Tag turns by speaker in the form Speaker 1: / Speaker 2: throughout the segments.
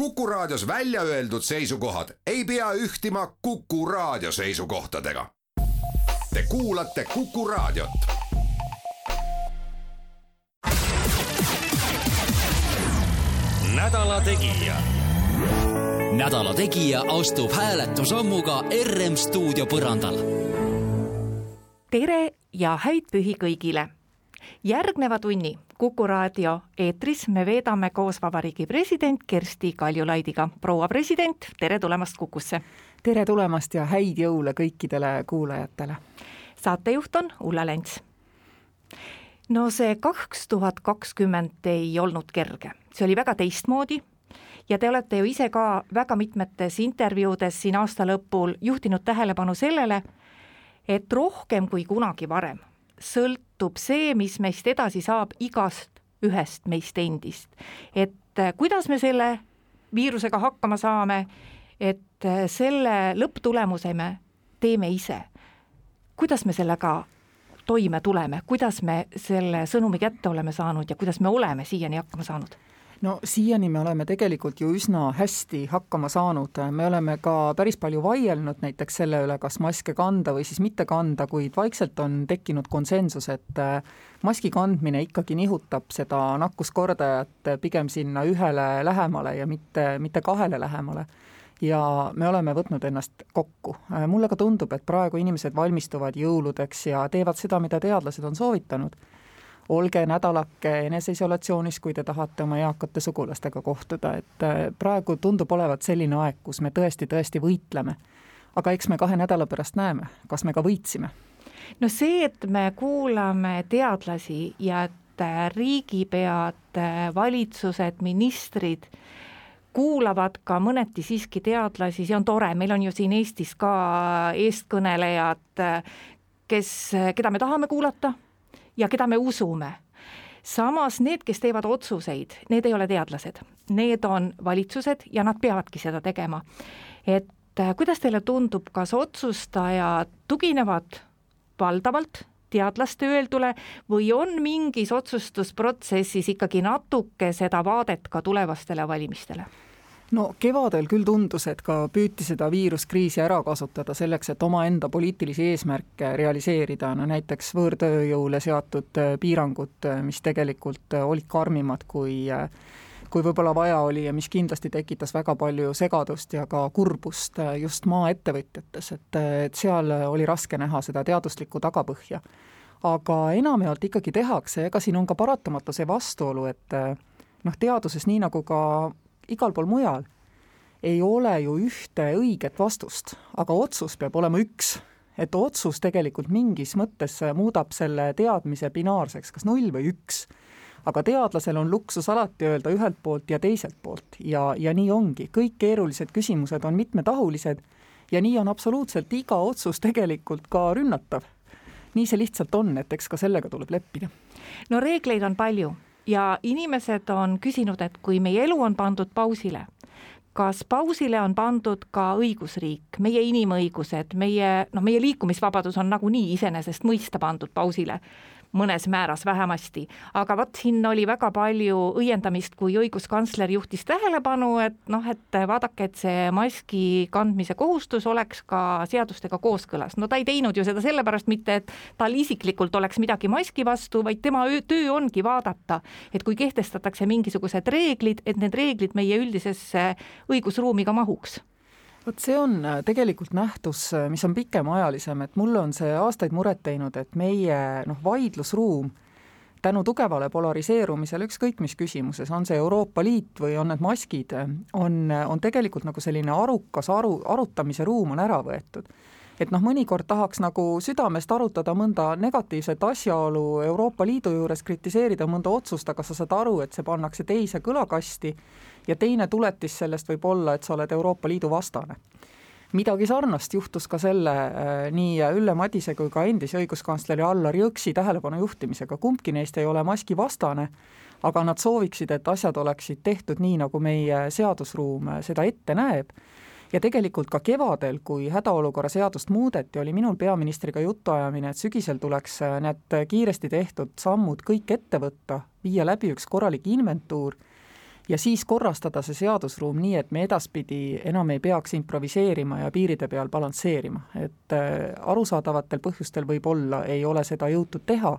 Speaker 1: Kuku Raadios välja öeldud seisukohad ei pea ühtima Kuku Raadio seisukohtadega. Te kuulate Kuku Raadiot.
Speaker 2: Nädala Tegija.
Speaker 3: Nädala Tegija astub hääletusammuga RM stuudio põrandal.
Speaker 4: Tere ja häid pühi kõigile! Järgneva tunni Kuku Raadio eetris me veedame koos Vabariigi president Kersti Kaljulaidiga. Proua president, tere tulemast Kukusse!
Speaker 5: Tere tulemast ja häid jõule kõikidele kuulajatele!
Speaker 4: Saatejuht on Ulla Lents. No see 2020 ei olnud kerge. See oli väga teistmoodi ja te olete ju ise ka väga mitmetes intervjuudes siin aasta lõpul juhtinud tähelepanu sellele, et rohkem kui kunagi varem sõltub see, mis meist edasi saab igast ühest meist endist. Et kuidas me selle viirusega hakkama saame, et selle lõpptulemuse me teeme ise. Kuidas me sellega toime tuleme, kuidas me selle sõnumi kätte oleme saanud ja kuidas me oleme siiani hakkama saanud?
Speaker 5: No siiani me oleme tegelikult ju üsna hästi hakkama saanud. Me oleme ka päris palju vaielnud näiteks selle üle, kas maske kanda või siis mitte kanda, kuid vaikselt on tekkinud konsensus, et maski kandmine ikkagi nihutab seda nakkuskordajat pigem sinna 1 lähemale ja mitte 2 lähemale. Ja me oleme võtnud ennast kokku. Mulle ka tundub, et praegu inimesed valmistuvad jõuludeks ja teevad seda, mida teadlased on soovitanud. Olge nädalake eneseisolatsioonis, kui te tahate oma eakate sugulastega kohtuda. Et praegu tundub olevat selline aeg, kus me tõesti võitleme. Aga eks me 2 nädala pärast näeme, kas me ka võitsime.
Speaker 4: No see, et me kuulame teadlasi ja et riigipead, valitsused, ministrid kuulavad ka mõneti siiski teadlasi, see on tore. Meil on ju siin Eestis ka eestkõnelejad, keda me tahame kuulata ja keda me usume. Samas need, kes teevad otsuseid, need ei ole teadlased. Need on valitsused ja nad peavadki seda tegema. Et kuidas teile tundub, kas otsustajad tuginevad valdavalt teadlaste öeldule või on mingis otsustusprotsessis ikkagi natuke seda vaadet ka tulevastele valimistele?
Speaker 5: No kevadel küll tundus, et ka püüti seda viiruskriisi ära kasutada selleks, et omaenda poliitilisi eesmärke realiseerida. No näiteks võõrtööjõule seatud piirangud, mis tegelikult olid karmimad kui võib-olla vaja oli ja mis kindlasti tekitas väga palju segadust ja ka kurbust just maaettevõtjates, et seal oli raske näha seda teaduslikku tagapõhja. Aga enamjaolt ikkagi tehakse, ega siin on ka paratamatu see vastuolu, et teaduses nii nagu ka igal pool mujal ei ole ju ühte õiget vastust, aga otsus peab olema üks. Et otsus tegelikult mingis mõttes muudab selle teadmise binaarseks, kas 0 või 1. Aga teadlasel on luksus alati öelda ühelt poolt ja teiselt poolt ja nii ongi. Kõik keerulised küsimused on mitmetahulised ja nii on absoluutselt iga otsus tegelikult ka rünnatav. Nii see lihtsalt on, et eks ka sellega tuleb leppida.
Speaker 4: No reegleid on palju ja inimesed on küsinud, et kui meie elu on pandud pausile, kas pausile on pandud ka õigusriik, meie inimõigused, meie liikumisvabadus on nagunii iseenesest mõista pandud pausile, mõnes määras vähemasti. Aga siin oli väga palju õiendamist, kui õiguskantsler juhtis tähelepanu, et vaadake, et see maski kandmise kohustus oleks ka seadustega kooskõlas. No ta ei teinud ju seda sellepärast mitte, et tal isiklikult oleks midagi maski vastu, vaid tema töö ongi vaadata, et kui kehtestatakse mingisugused reeglid, et need reeglid meie üldisesse õigusruumi ka mahuks.
Speaker 5: Vot see on tegelikult nähtus, mis on pikemaajalisem, et mulle on see aastaid muret teinud, et meie vaidlusruum tänu tugevale polariseerumisele ükskõik mis küsimuses, on see Euroopa Liit või on need maskid, on tegelikult nagu selline arukas arutamise ruum on ära võetud. Et mõnikord tahaks nagu südamest arutada mõnda negatiivset asjaolu Euroopa Liidu juures, kritiseerida mõnda otsust, aga sa saad aru, et see pannakse teise kõlakasti ja teine tuletis sellest võib olla, et sa oled Euroopa Liidu vastane. Midagi sarnast juhtus ka selle nii Ülle Madise kui ka endise õiguskantsleri Allar Jõksi tähelepanu juhtimisega. Kumbki neist ei ole maski vastane, aga nad sooviksid, et asjad oleksid tehtud nii, nagu meie seadusruum seda ette näeb. Ja tegelikult ka kevadel, kui hädaolukorra seadust muudeti, oli minul peaministriga jutuajamine, et sügisel tuleks need kiiresti tehtud sammud kõik ette võtta, viia läbi üks korralik inventuur ja siis korrastada see seadusruum nii, et me edaspidi enam ei peaks improviseerima ja piiride peal balansseerima. Et arusaadavatel põhjustel võib-olla ei ole seda jõutud teha,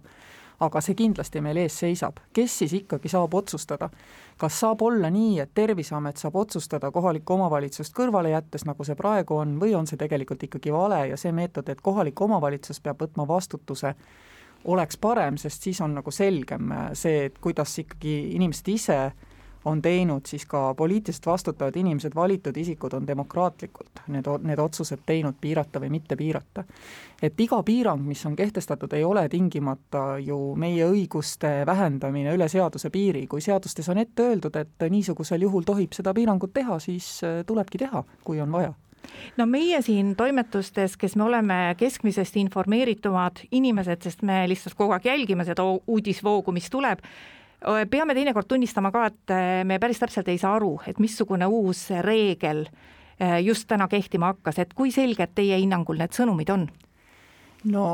Speaker 5: aga see kindlasti meil ees seisab. Kes siis ikkagi saab otsustada? Kas saab olla nii, et Terviseamet saab otsustada kohalikku omavalitsust kõrvale jättes, nagu see praegu on, või on see tegelikult ikkagi vale ja see meetod, et kohalik omavalitsus peab võtma vastutuse, oleks parem, sest siis on nagu selgem see, et kuidas ikkagi inimesed ise on teinud, siis ka poliitiliselt vastutavad inimesed, valitud isikud on demokraatlikult need otsused teinud piirata või mitte piirata. Et iga piirang, mis on kehtestatud, ei ole tingimata ju meie õiguste vähendamine üle seaduse piiri. Kui seadustes on ette öeldud, et niisugusel juhul tohib seda piirangut teha, siis tulebki teha, kui on vaja.
Speaker 4: No meie siin toimetustes, kes me oleme keskmisest informeeritumad inimesed, sest me lihtsalt kogu aeg jälgime seda uudisvoogu, mis tuleb, peame teinekord tunnistama ka, et me päris täpselt ei saa aru, et missugune uus reegel just täna kehtima hakkas, et kui selged teie hinnangul need sõnumid on?
Speaker 5: No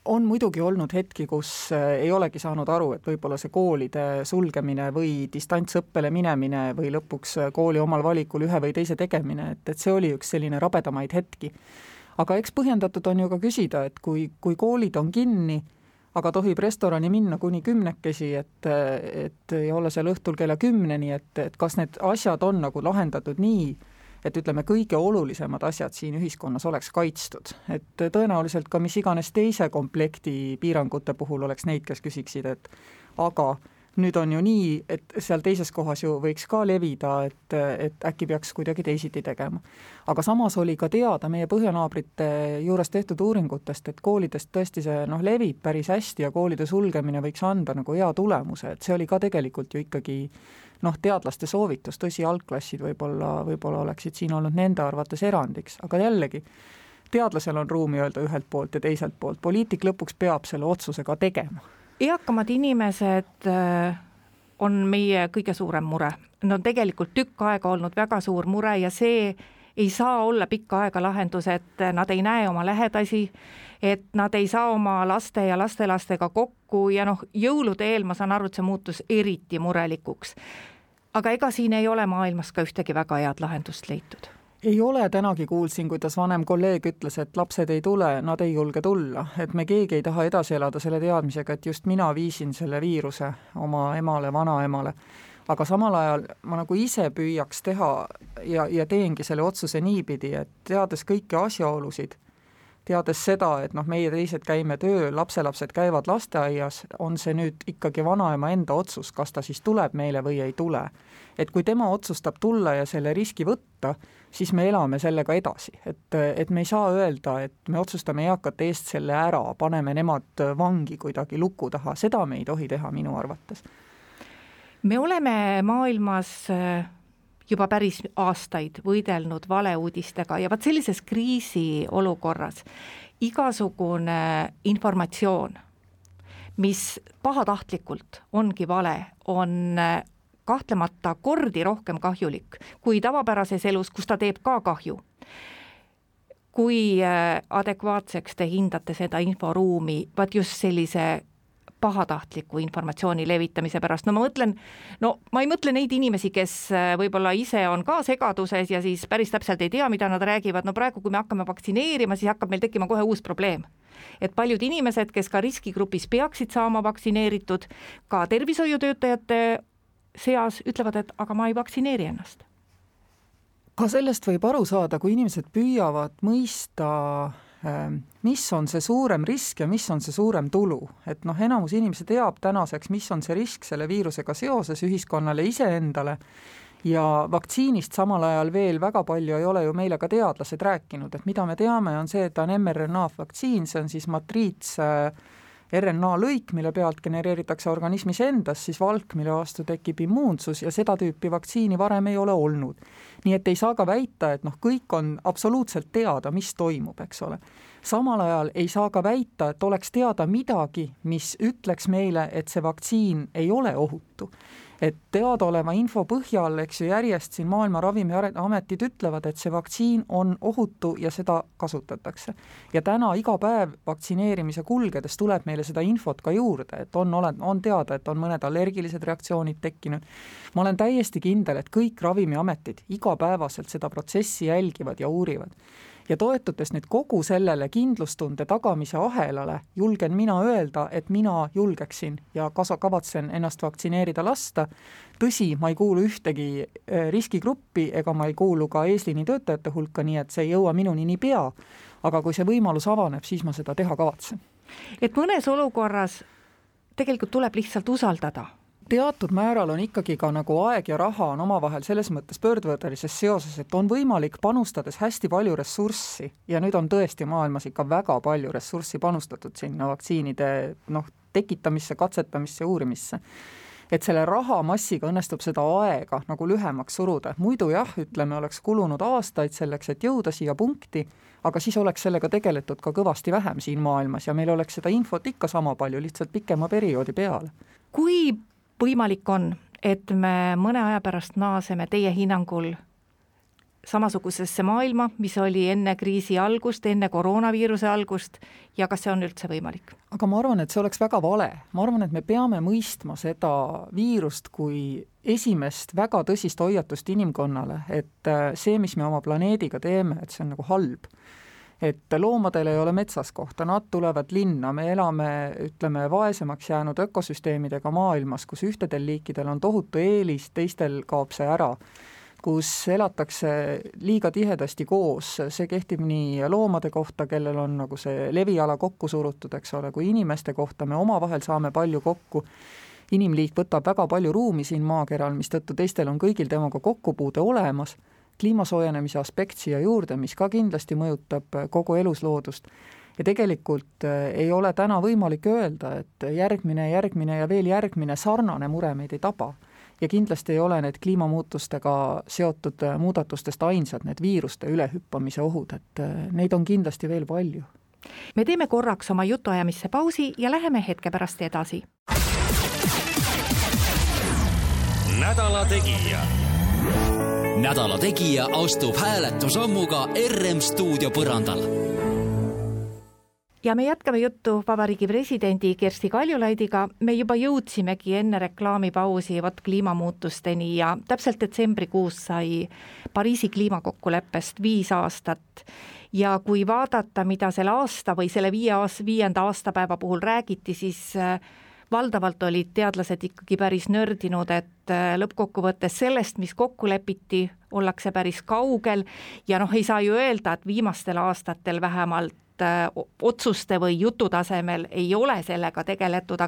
Speaker 5: on muidugi olnud hetki, kus ei olegi saanud aru, et võib-olla see koolide sulgemine või distantsõppele minemine või lõpuks kooli omal valikul ühe või teise tegemine, et see oli üks selline rabedamaid hetki. Aga eks põhjendatud on ju ka küsida, et kui koolid on kinni, aga tohib restorani minna kuni 10, et ei ole seal õhtul kella 10, et kas need asjad on nagu lahendatud nii, et ütleme, kõige olulisemad asjad siin ühiskonnas oleks kaitstud. Et tõenäoliselt ka mis iganes teise komplekti piirangute puhul oleks neid, kes küsiksid, et aga nüüd on ju nii, et seal teises kohas ju võiks ka levida, et äkki peaks kuidagi teisiti tegema. Aga samas oli ka teada meie põhjanaabrite juures tehtud uuringutest, et koolidest tõesti see levib päris hästi ja koolide sulgemine võiks anda nagu hea tulemuse, et see oli ka tegelikult ju ikkagi teadlaste soovitus, tõsi, algklassid võib-olla oleksid siin olnud nende arvates erandiks, aga jällegi, teadlasel on ruumi öelda ühelt poolt ja teiselt poolt, poliitik lõpuks peab selle otsuse ka tegema.
Speaker 4: Eakamad inimesed on meie kõige suurem mure. Nad on tegelikult tükk aega olnud väga suur mure ja see ei saa olla pikka aega lahendus, et nad ei näe oma lähedasi, et nad ei saa oma laste ja lastelastega kokku ja jõulude eel ma saan aru, et see muutus eriti murelikuks. Aga ega siin ei ole maailmas ka ühtegi väga head lahendust leitud.
Speaker 5: Ei ole, tänagi kuulsin, kuidas vanem kolleeg ütles, et lapsed ei tule, nad ei julge tulla, et me keegi ei taha edasi elada selle teadmisega, et just mina viisin selle viiruse oma emale, vanaemale. Aga samal ajal ma nagu ise püüaks teha ja teengi selle otsuse niipidi, et teades kõiki asjaolusid, teades seda, et meie teised käime tööl, lapselapsed käivad lasteaias, on see nüüd ikkagi vanaema enda otsus, kas ta siis tuleb meile või ei tule. Et kui tema otsustab tulla ja selle riski võtta, siis me elame sellega edasi. Et me ei saa öelda, et me otsustame eakate eest selle ära, paneme nemad vangi kuidagi luku taha. Seda me ei tohi teha minu arvates.
Speaker 4: Me oleme maailmas juba päris aastaid võidelnud valeuudistega ja sellises kriisiolukorras igasugune informatsioon, mis pahatahtlikult ongi vale, on kahtlemata kordi rohkem kahjulik kui tavapärases elus, kus ta teeb ka kahju. Kui adekvaatseks te hindate seda inforuumi, vaat just sellise pahatahtliku informatsiooni levitamise pärast? Ma ei mõtle neid inimesi, kes võib-olla ise on ka segaduses ja siis päris täpselt ei tea, mida nad räägivad. Praegu, kui me hakkame vaktsineerima, siis hakkab meil tekkima kohe uus probleem. Et paljud inimesed, kes ka riskigrupis peaksid saama vaktsineeritud, ka tervishoiutöötajate seas ütlevad, et aga ma ei vaktsineeri ennast.
Speaker 5: Ka sellest võib aru saada, kui inimesed püüavad mõista, mis on see suurem risk ja mis on see suurem tulu. Et enamus inimesi teab tänaseks, mis on see risk selle viirusega seoses ühiskonnale iseendale ja vaktsiinist samal ajal veel väga palju ei ole ju meile ka teadlased rääkinud. Et mida me teame on see, et on mRNA vaktsiin, see on siis matriits RNA lõik, mille pealt genereeritakse organismis endas, siis valk, mille vastu tekib immuunsus ja seda tüüpi vaktsiini varem ei ole olnud. Nii et ei saa ka väita, et kõik on absoluutselt teada, mis toimub, eks ole. Samal ajal ei saa ka väita, et oleks teada midagi, mis ütleks meile, et see vaktsiin ei ole ohutu. et teadaoleva info põhjal, eks ju, järjest siin Maailma Ravimiametid ütlevad, et see vaktsiin on ohutu ja seda kasutatakse. Ja täna iga päev vaktsineerimise kulgedes tuleb meile seda infot ka juurde, et on teada, et on mõned allergilised reaktsioonid tekkinud. Ma olen täiesti kindel, et kõik ravimiametid igapäevaselt seda protsessi jälgivad ja uurivad. Ja toetudes nüüd kogu sellele kindlustunde tagamise ahelale, julgen mina öelda, et mina julgeksin ja kavatsen ennast vaktsineerida lasta. Tõsi, ma ei kuulu ühtegi riskigruppi ega ma ei kuulu ka eesliini töötajate hulka, nii et see ei jõua minuni nii pea. Aga kui see võimalus avaneb, siis ma seda teha kavatsen.
Speaker 4: Et mõnes olukorras tegelikult tuleb lihtsalt usaldada.
Speaker 5: Teatud määral on ikkagi ka nagu aeg ja raha on omavahel selles mõttes pöördvõrdelises seoses, et on võimalik panustades hästi palju ressurssi ja nüüd on tõesti maailmas ikka väga palju ressurssi panustatud sinna vaktsiinide tekitamisse, katsetamisse ja uurimisse. Et selle rahamassiga õnnestub seda aega nagu lühemaks suruda. Muidu jah, ütleme, oleks kulunud aastaid selleks, et jõuda siia punkti, aga siis oleks sellega tegeletud ka kõvasti vähem siin maailmas ja meil oleks seda infot ikka sama palju, lihtsalt pikema perioodi peale.
Speaker 4: Kui võimalik on, et me mõne aja pärast naaseme teie hinnangul samasugusesse maailma, mis oli enne kriisi algust, enne koroonaviiruse algust ja kas see on üldse võimalik?
Speaker 5: Aga ma arvan, et see oleks väga vale. Ma arvan, et me peame mõistma seda viirust kui esimest väga tõsist hoiatust inimkonnale, et see, mis me oma planeediga teeme, et see on nagu halb. Et loomadel ei ole metsas kohta, nad tulevad linna, me elame, ütleme, vaesemaks jäänud ökosüsteemidega maailmas, kus ühtedel liikidel on tohutu eelis, teistel kaob see ära, kus elatakse liiga tihedasti koos, see kehtib nii loomade kohta, kellel on nagu see leviala kokku surutud, eks ole, kui inimeste kohta me omavahel saame palju kokku. Inimliik võtab väga palju ruumi siin maakeral, mistõttu teistel on kõigil temaga kokkupuude olemas. Kliimasoojenemise aspekt siia juurde, mis ka kindlasti mõjutab kogu elusloodust. Ja tegelikult ei ole täna võimalik öelda, et järgmine ja veel järgmine sarnane mure meid ei taba. Ja kindlasti ei ole need kliimamuutustega seotud muudatustest ainsad, need viiruste ülehüppamise ohud, et neid on kindlasti veel palju.
Speaker 4: Me teeme korraks oma jutuajamisse pausi ja läheme hetke pärast edasi.
Speaker 3: Nädala Tegija. Nädala Tegija astub hääletusammuga RM stuudio põrandal.
Speaker 4: Ja me jätkame juttu Vabariigi presidendi Kersti Kaljulaidiga. Me juba jõudsimegi enne reklaamipausi kliimamuutusteni ja täpselt detsembrikuus sai Pariisi kliimakokkuleppest 5 aastat. Ja kui vaadata, mida selle aasta või selle 5. aastapäeva puhul räägiti, siis valdavalt olid teadlased ikkagi päris nördinud, et lõppkokkuvõttes sellest, mis kokku lepiti, ollakse päris kaugel ja ei saa ju öelda, et viimastel aastatel vähemalt otsuste või jutu tasemel ei ole sellega tegeletud,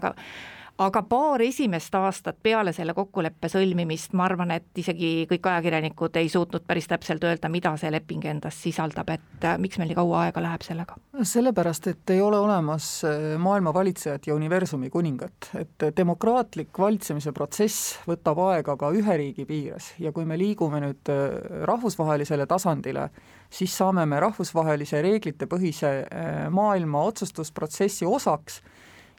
Speaker 4: aga paar esimest aastat peale selle kokkuleppe sõlmimist, ma arvan, et isegi kõik ajakirjanikud ei suutnud päris täpselt öelda, mida see leping endas sisaldab, et miks meil nii kaua aega läheb sellega?
Speaker 5: Sellepärast, et ei ole olemas maailma valitsejat ja universumi kuningat, et demokraatlik valitsemise protsess võtab aega ka ühe riigi piires ja kui me liigume nüüd rahvusvahelisele tasandile, siis saame me rahvusvahelise reeglite põhise maailma otsustusprotsessi osaks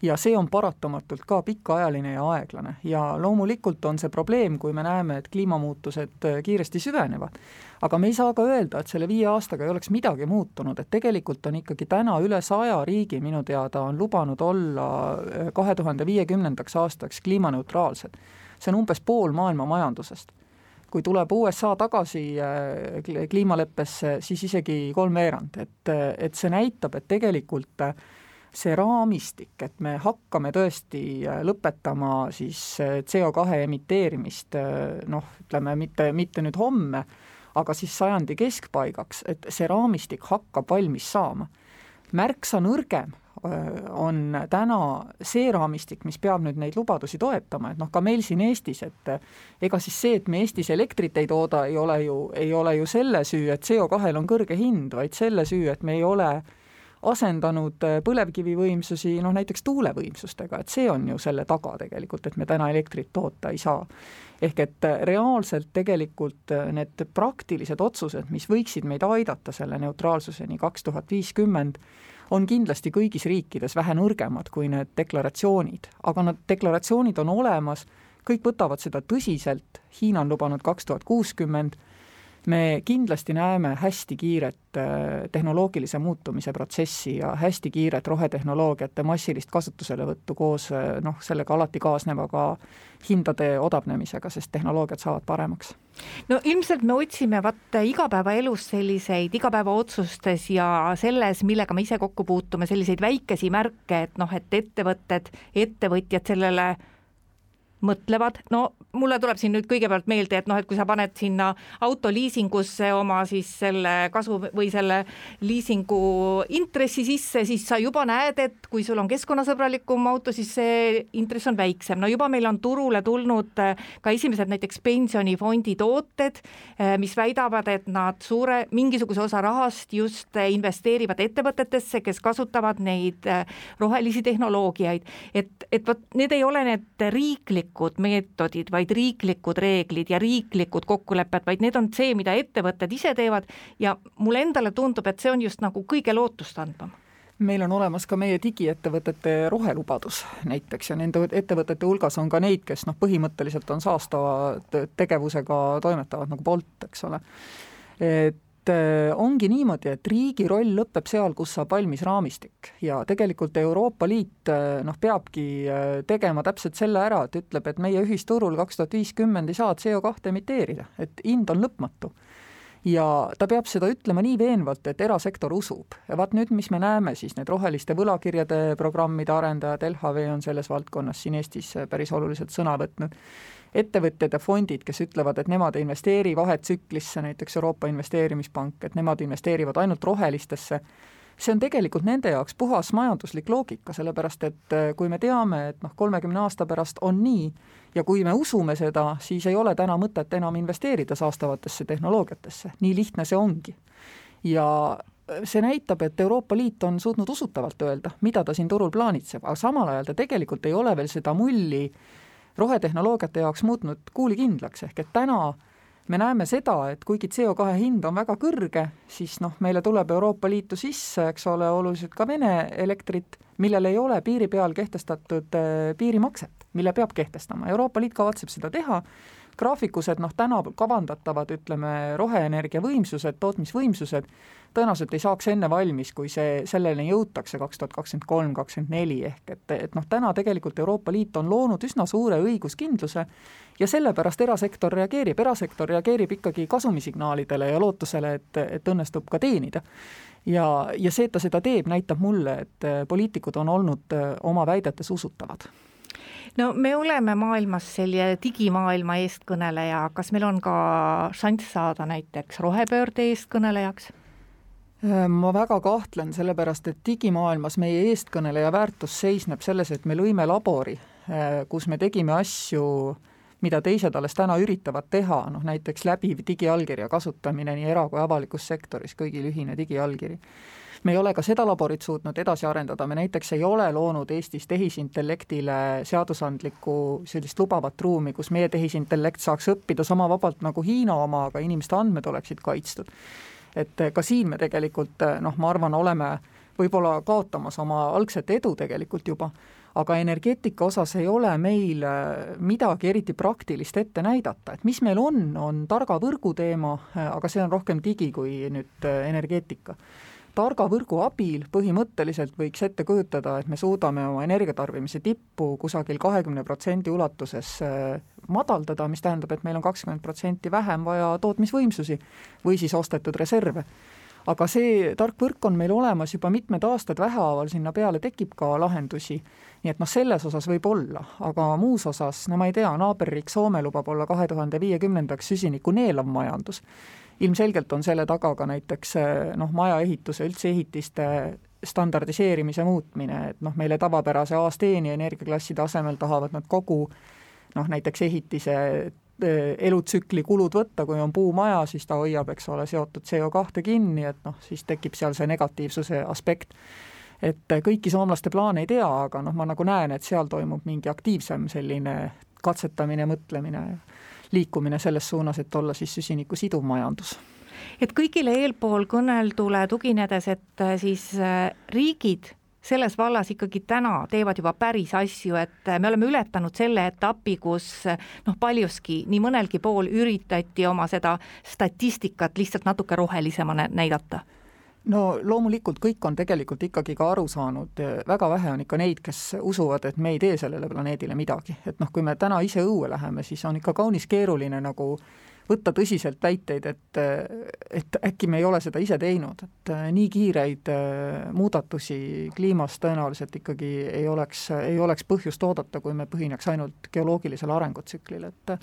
Speaker 5: ja see on paratamatult ka pikaajaline ja aeglane ja loomulikult on see probleem, kui me näeme, et kliimamuutused kiiresti süvenevad. Aga me ei saa ka öelda, et selle 5 aastaga ei oleks midagi muutunud, et tegelikult on ikkagi täna üle 100 riigi minu teada on lubanud olla 2050. aastaks kliimaneutraalsed. See on umbes pool maailma majandusest. Kui tuleb USA tagasi kliimaleppesse, siis isegi 3/4, et see näitab, et tegelikult see raamistik, et me hakkame tõesti lõpetama siis CO2 emiteerimist, ütleme mitte nüüd homme, aga siis sajandi keskpaigaks, et see raamistik hakkab valmis saama. Märksa nõrgem on täna see raamistik, mis peab nüüd neid lubadusi toetama, et ka meil siin Eestis, et ega siis see, et me Eestis elektrit ei tooda, ei ole ju selle süü, et CO2-l on kõrge hind, vaid selle süü, et me ei ole asendanud põlevkivivõimsusi näiteks tuulevõimsustega, et see on ju selle taga tegelikult, et me täna elektrit toota ei saa. Ehk et reaalselt tegelikult need praktilised otsused, mis võiksid meid aidata selle neutraalsuseni 2050, on kindlasti kõigis riikides vähe nõrgemad kui need deklaratsioonid, aga need deklaratsioonid on olemas, kõik võtavad seda tõsiselt, Hiina on lubanud 2060, me kindlasti näeme hästi kiiret tehnoloogilise muutumise protsessi ja hästi kiiret rohetehnoloogiate massilist kasutuselevõttu koos sellega alati kaasnevaga hindade odavnemisega, sest tehnoloogiad saavad paremaks.
Speaker 4: No ilmselt me otsime igapäevaelus selliseid igapäevaotsustes ja selles, millega me ise kokku puutume, selliseid väikesi märke, et ettevõtjad sellele mõtlevad. No mulle tuleb siin nüüd kõigepealt meelde, et kui sa paned sinna autoliisingusse oma siis selle kasu või selle liisingu intressi sisse, siis sa juba näed, et kui sul on keskkonnasõbralikum auto, siis see intress on väiksem. No juba meil on turule tulnud ka esimesed näiteks pensionifondi tooted, mis väidavad, et nad mingisuguse osa rahast just investeerivad ettevõtetesse, kes kasutavad neid rohelisi tehnoloogiaid. Et need ei ole need riiklikud meetodid, vaid riiklikud reeglid ja riiklikud kokkulepped, vaid need on see, mida ettevõtted ise teevad ja mulle endale tundub, et see on just nagu kõige lootustandvam.
Speaker 5: Meil on olemas ka meie digiettevõtete rohelubadus näiteks ja nende ettevõtete hulgas on ka neid, kes põhimõtteliselt on saastava tegevusega toimetavad nagu Bolt, eks ole. Ongi niimoodi, et riigi roll lõpeb seal, kus saab valmis raamistik ja tegelikult Euroopa Liit peabki tegema täpselt selle ära, et ütleb, et meie ühisturul 2050 ei saa CO2 emiteerida, et hind on lõpmatu. Ja ta peab seda ütlema nii veenvalt, et erasektor usub. Ja vaat nüüd, mis me näeme, siis need roheliste võlakirjade programmide arendajad, LHV on selles valdkonnas siin Eestis päris oluliselt sõna võtnud. Ettevõtjad ja fondid, kes ütlevad, et nemad ei investeeri vahetsüklisse, näiteks Euroopa Investeerimispank, et nemad investeerivad ainult rohelistesse, see on tegelikult nende jaoks puhas majanduslik loogika, sellepärast et kui me teame, et 30 aasta pärast on nii ja kui me usume seda, siis ei ole täna mõtet enam investeerida saastavatesse tehnoloogiatesse. Nii lihtne see ongi. Ja see näitab, et Euroopa Liit on suutnud usutavalt öelda, mida ta siin turul plaanitseb, aga samal ajal ta tegelikult ei ole veel seda mulli rohetehnoloogiate jaoks muutnud kuulikindlaks, ehk et täna me näeme seda, et kuigi CO2 hind on väga kõrge, siis meile tuleb Euroopa Liitu sisse, eks ole, oluliselt ka Vene elektrit, millel ei ole piiri peal kehtestatud piirimakset, mille peab kehtestama. Euroopa Liit kavatseb seda teha. Graafikused täna kavandatavad, roheenergia võimsused, tootmisvõimsused, tõenäoliselt ei saaks enne valmis, kui selleni jõutakse 2023-2024, ehk et täna tegelikult Euroopa Liit on loonud üsna suure õiguskindluse ja sellepärast erasektor reageerib ikkagi kasumisignaalidele ja lootusele, et õnnestub ka teenida. Ja see, et ta seda teeb, näitab mulle, et poliitikud on olnud oma väidetes usutavad.
Speaker 4: No me oleme maailmas selline digimaailma eestkõneleja, kas meil on ka šanss saada näiteks rohepöörde eestkõnelejaks?
Speaker 5: Ma väga kahtlen, sellepärast, et digimaailmas meie eestkõneleja väärtus seisneb selles, et me lõime labori, kus me tegime asju, mida teised alles täna üritavad teha, näiteks läbiv digiallkirja kasutamine nii era- kui avalikus sektoris, kõigil ühine digiallkiri. Me ei ole ka seda laborit suutnud edasi arendada, me näiteks ei ole loonud Eestis tehisintellektile seadusandlikku sellist lubavat ruumi, kus meie tehisintellekt saaks õppida sama vabalt nagu Hiina oma, aga inimeste andmed oleksid kaitstud. Et ka siin me tegelikult, ma arvan, oleme võib-olla kaotamas oma algset edu tegelikult juba, aga energeetika osas ei ole meil midagi eriti praktilist ette näidata, et mis meil on targa võrgu teema, aga see on rohkem digi kui nüüd energeetika. Targa võrgu abil põhimõtteliselt võiks ette kujutada, et me suudame oma energiatarbimise tippu kusagil 20% ulatuses madaldada, mis tähendab, et meil on 20% vähem vaja tootmisvõimsusi või siis ostetud reserve. Aga see tark võrk on meil olemas juba mitmed aastad, vähehaaval sinna peale tekib ka lahendusi. Nii et selles osas võib olla, aga muus osas, ma ei tea, naaberriik Soome lubab olla 2050 süsiniku neelav majandus. Ilmselgelt on selle taga ka näiteks maja ehituse, üldse ehitiste standardiseerimise muutmine, et meile tavapärase aasteeni energiaklasside asemel tahavad nad kogu näiteks ehitise elutsükli kulud võtta, kui on puumaja, siis ta hoiab, eks ole, seotud CO2 kinni, et siis tekib seal see negatiivsuse aspekt. Et kõiki soomlaste plaane ei tea, aga ma nagu näen, et seal toimub mingi aktiivsem selline katsetamine, mõtlemine liikumine selles suunas, et olla siis süsiniku siduv majandus.
Speaker 4: Et kõigile eelpool kõneldule tuginedes, et siis riigid selles vallas ikkagi täna teevad juba päris asju, et me oleme ületanud selle etapi, kus paljuski nii mõnelgi pool üritati oma seda statistikat lihtsalt natuke rohelisemana näidata?
Speaker 5: No loomulikult kõik on tegelikult ikkagi ka aru saanud, väga vähe on ikka neid, kes usuvad, et me ei tee sellele planeedile midagi. Et kui me täna ise õue läheme, siis on ikka kaunis keeruline nagu võtta tõsiselt väiteid, et äkki me ei ole seda ise teinud, et nii kiireid muudatusi kliimas tõenäoliselt ikkagi ei oleks põhjust oodata, kui me põhineks ainult geoloogilisel arengutsüklil, et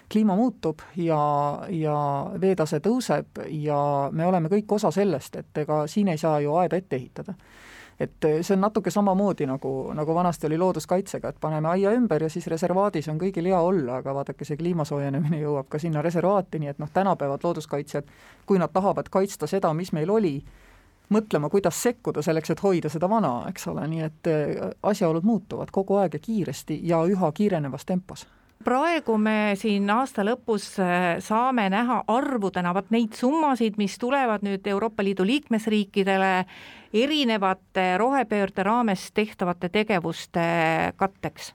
Speaker 5: kliima muutub ja veetase tõuseb ja me oleme kõik osa sellest, et ega siin ei saa ju aeda ette ehitada. Et see on natuke samamoodi nagu vanasti oli looduskaitsega, et paneme aia ümber ja siis reservaadis on kõigil hea olla, aga vaadake, see kliimasoojenemine jõuab ka sinna reservaati, nii et tänapäevad looduskaitsjad, kui nad tahavad kaitsta seda, mis meil oli, mõtlema, kuidas sekkuda selleks, et hoida seda vana, eks ole, nii et asjaolud muutuvad kogu aeg ja kiiresti ja üha kiirenevas tempos.
Speaker 4: Praegu me siin aasta lõpus saame näha arvudena neid summasid, mis tulevad nüüd Euroopa Liidu liikmesriikidele erinevate rohepöörde raames tehtavate tegevuste katteks.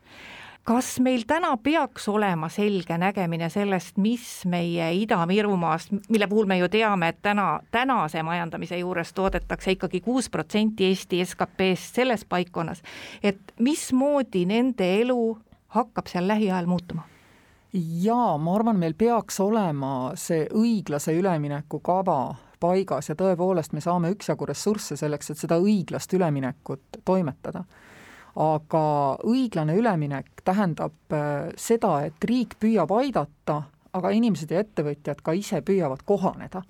Speaker 4: Kas meil täna peaks olema selge nägemine sellest, mis meie Ida-Virumaast, mille puhul me ju teame, et tänase majandamise juures toodetakse ikkagi 6% Eesti SKP-st selles paikkonnas, et mismoodi nende elu hakkab seal lähiajal muutuma?
Speaker 5: Jaa, ma arvan, meil peaks olema see õiglase ülemineku kava paigas ja tõepoolest me saame üksjagu ressursse selleks, et seda õiglast üleminekut toimetada. Aga õiglane üleminek tähendab seda, et riik püüab aidata, aga inimesed ja ettevõtjad ka ise püüavad kohaneda.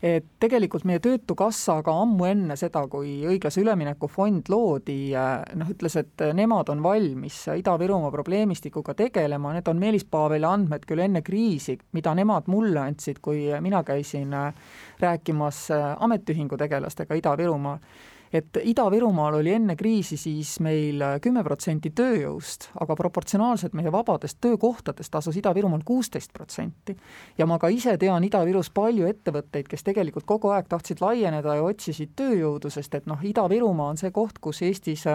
Speaker 5: Et tegelikult meie Töötukassa aga ammu enne seda, kui õiglase ülemineku fond loodi, ütles, et nemad on valmis Ida-Virumaa probleemistikuga tegelema, need on Meelis Paaveli andmed küll enne kriisi, mida nemad mulle andsid, kui mina käisin rääkimas ametiühingu tegelastega Ida-Virumaal. Et Ida-Virumaal oli enne kriisi siis meil 10% tööjõust, aga proportsionaalselt meie vabadest töökohtadest asus Ida-Virumaal 16%. Ja ma ka ise tean Ida-Virus palju ettevõtteid, kes tegelikult kogu aeg tahtsid laieneda ja otsisid tööjõudu, sest et Ida-Virumaa on see koht, kus Eestis